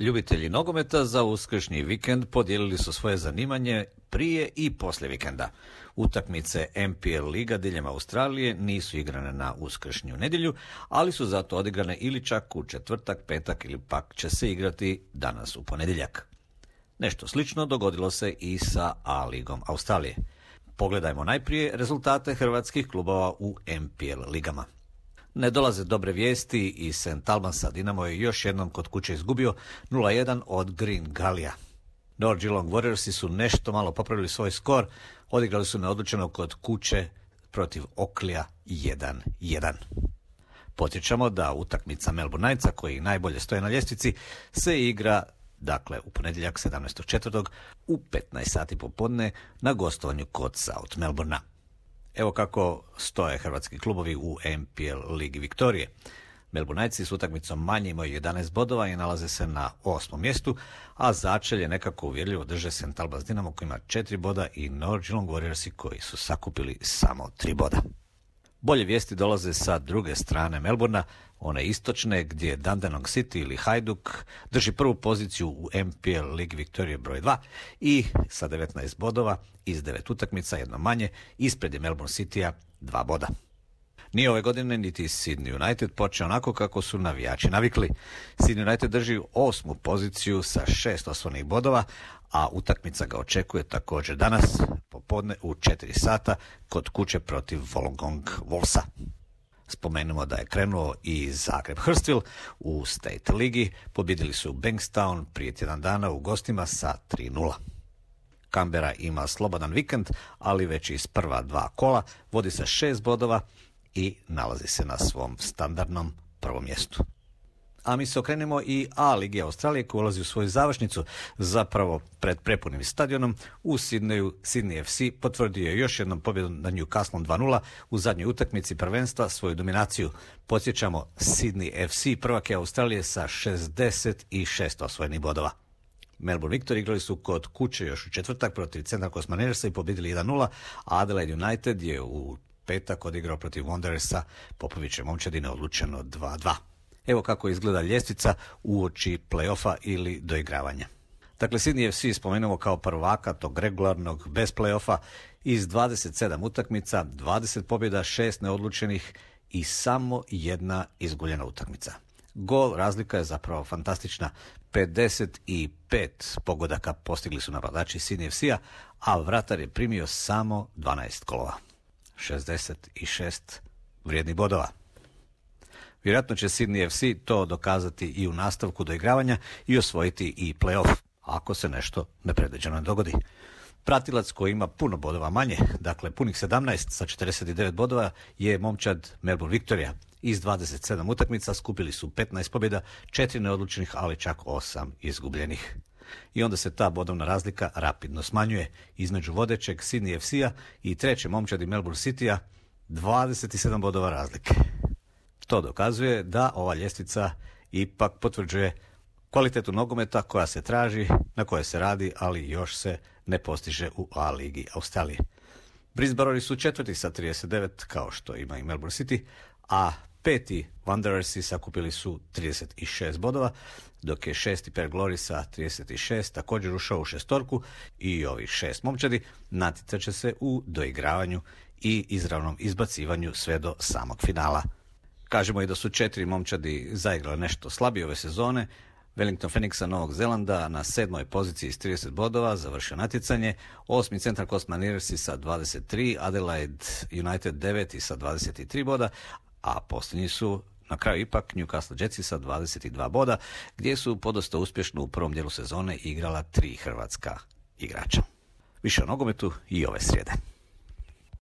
Ljubitelji nogometa za uskršnji vikend podijelili su svoje zanimanje prije i poslije vikenda. Utakmice MPL liga diljem Australije nisu igrane na uskršnju nedjelju, ali su zato odigrane ili čak u četvrtak, petak ili pak će se igrati danas u ponedjeljak. Nešto slično dogodilo se i sa A ligom Australije. Pogledajmo najprije rezultate hrvatskih klubova u MPL ligama. Ne dolaze dobre vijesti i St. Albansa. Dinamo je još jednom kod kuće izgubio 0-1 od Green Gallija. North Geelong Warriorsi su nešto malo popravili svoj skor, odigrali su neodlučeno kod kuće protiv Oaklija 1-1. Podsjećamo da utakmica Melbourne Knightsa, koji najbolje stoje na ljestvici, se igra u ponedjeljak 17.4. u 15 sati popodne na gostovanju kod South Melbournea. Evo kako stoje hrvatski klubovi u MPL ligi Viktorije. Melbourne Knightsi s utakmicom manje imaju 11 bodova i nalaze se na 8. mjestu, a začelje nekako uvjerljivo drže St. Albans Dinamo koji ima 4 boda i North Geelong Warriorsi koji su sakupili samo 3 boda. Bolje vijesti dolaze sa druge strane Melbournea, one istočne, gdje Dandenong City ili Hajduk drži prvu poziciju u MPL ligi Viktorije broj 2 i sa 19 bodova iz 9 utakmica, jedno manje, ispred je Melbourne Citya 2 boda. Nije ove godine niti Sydney United počeo onako kako su navijači navikli. Sydney United drži 8. poziciju sa 6 osvojenih bodova, a utakmica ga očekuje također danas popodne u 4 sata kod kuće protiv Wollongong Wolvesa. Spomenemo da je krenuo i Zagreb Hurstville u State ligi, pobjedili su Bankstown prije tjedan dana u gostima sa 3-0. Canberra ima slobodan vikend, ali već iz prva 2 kola vodi sa 6 bodova i nalazi se na svom standardnom prvom mjestu. A mi se okrenemo i A ligi Australije koja ulazi u svoju završnicu, zapravo pred prepunim stadionom u Sydneyu. Sydney FC potvrdio je još jednom pobjedom nad Newcastlom 2-0 u zadnjoj utakmici prvenstva svoju dominaciju. Podsjećamo, Sydney FC prvak je Australije sa 66 osvojenih bodova. Melbourne Victory igrali su kod kuće još u četvrtak protiv Central Coast Mariners i pobjedili 1-0, a Adelaide United je u petak odigrao protiv Wanderersa Popovićeve momčadi neodlučeno 2-2. Evo kako izgleda ljestvica uoči play-offa ili doigravanja. Dakle, Sydney FC spomenemo kao prvaka tog regularnog bez play-offa iz 27 utakmica, 20 pobjeda, 6 neodlučenih i samo jedna izgubljena utakmica. Gol razlika je zapravo fantastična. 55 pogodaka postigli su napadači Sydney FC-a, a vratar je primio samo 12 golova. 66 vrijednih bodova. Vjerojatno će Sydney FC to dokazati i u nastavku doigravanja i osvojiti i play-off, ako se nešto nepredviđeno ne dogodi. Pratilac koji ima puno bodova manje, dakle punih 17 sa 49 bodova, je momčad Melbourne Victoria. Iz 27 utakmica skupili su 15 pobjeda, 4 neodlučenih, ali čak 8 izgubljenih. I onda se ta bodovna razlika rapidno smanjuje između vodećeg Sydney FC-a i treće momčadi Melbourne City-a, 27 bodova razlike. To dokazuje da ova ljestvica ipak potvrđuje kvalitetu nogometa koja se traži, na kojoj se radi, ali još se ne postiže u A ligi Australije. Brisbaneri su četvrti sa 39, kao što ima i Melbourne City, a peti Wanderersi sakupili su 36 bodova, dok je šesti Perth Glory sa 36 također ušao u šestorku i ovih 6 momčadi natjecat će se u doigravanju i izravnom izbacivanju sve do samog finala. Kažemo i da su 4 momčadi zaigrale nešto slabije ove sezone. Wellington Phoenixa Novog Zelanda na 7. poziciji s 30 bodova završio natjecanje, 8. Central Coast Mariners sa 23, Adelaide United 9 sa 23 boda, a posljednji su na kraju ipak Newcastle Jetsi sa 22 boda, gdje su podosta uspješno u prvom dijelu sezone igrala 3 hrvatska igrača. Više o nogometu i ove srijede.